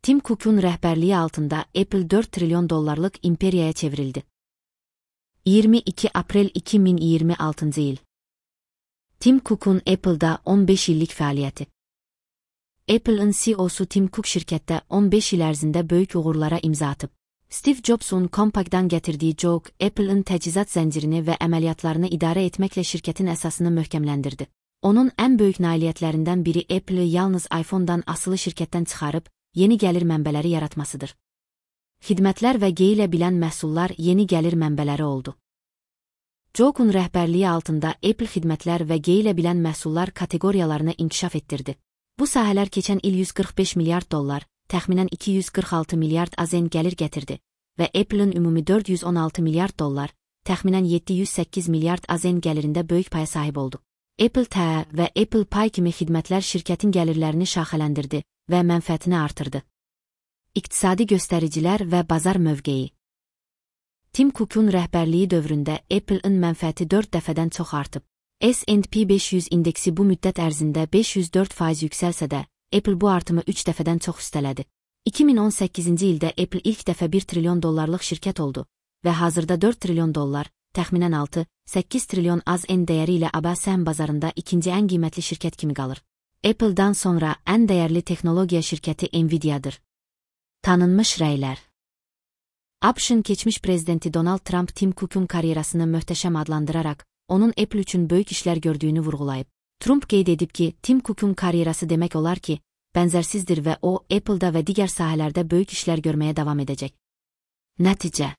Tim Cook'un rəhbərliyi altında Apple 4 trilyon dollarlıq imperiyaya çevrildi. 22 aprel 2026 il. Tim Cook'un Apple'da 15 illik fəaliyyəti. Apple'ın CEO'su Tim Cook şirkətdə 15 il ərzində böyük uğurlara imza atıb. Steve Jobs'un Compaqdan gətirdiyi Jog, Apple'ın təchizat zəncirini və əməliyyatlarını idarə etməklə şirkətin əsasını möhkəmləndirdi. Onun ən böyük nailiyyətlərindən biri Apple'ı yalnız iPhone-dan asılı şirkətdən çıxarıb, yeni gəlir mənbələri yaratmasıdır. Xidmətlər və geyilə bilən məhsullar yeni gəlir mənbələri oldu. Jog'un rəhbərliyi altında Apple xidmətlər və geyilə bilən məhsullar kateqoriyalarını inkişaf etdirdi. Bu sahələr keçən il 145 milyard dollar, təxminən 246 milyard AZN gəlir gətirdi və Apple'ın ümumi 416 milyard dollar, təxminən 708 milyard AZN gəlirində böyük paya sahib oldu. Apple TV və Apple Pay kimi xidmətlər şirkətin gəlirlərini şaxələndirdi və mənfəətini artırdı. İqtisadi göstəricilər və bazar mövqeyi. Tim Cook'un rəhbərliyi dövründə Apple'ın mənfəəti 4 dəfədən çox artıb. S&P 500 indeksi bu müddət ərzində 504% yüksəlsə də, Apple bu artımı 3 dəfədən çox üstələdi. 2018-ci ildə Apple ilk dəfə 1 trilyon dollarlıq şirkət oldu və hazırda 4 trilyon dollar, təxminən 6-8 trilyon AZN dəyəri ilə ABA səhm bazarında ikinci ən qiymətli şirkət kimi qalır. Apple'dan sonra ən dəyərli texnologiya şirkəti Nvidia'dır. Tanınmış rəylər. ABŞ-ın keçmiş prezidenti Donald Trump Tim Cook'un karyerasını möhtəşəm adlandıraraq, onun Apple üçün böyük işlər gördüyünü vurğulayıb. Trump qeyd edib ki, Tim Cook'un karyerası demək olar ki, bənzərsizdir və o, Apple'da və digər sahələrdə böyük işlər görməyə davam edəcək. Nəticə.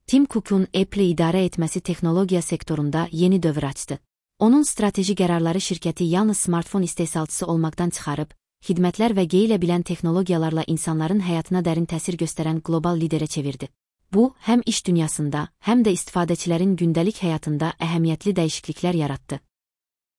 Tim Cook'un Apple'ı idarə etməsi texnologiya sektorunda yeni dövr açdı. Onun strateji qərarları şirkəti yalnız smartfon istehsalçısı olmaqdan çıxarıb, xidmətlər və geyilə bilən texnologiyalarla insanların həyatına dərin təsir göstərən qlobal liderə çevirdi. Bu, həm iş dünyasında, həm də istifadəçilərin gündəlik həyatında əhəmiyyətli dəyişikliklər yaratdı.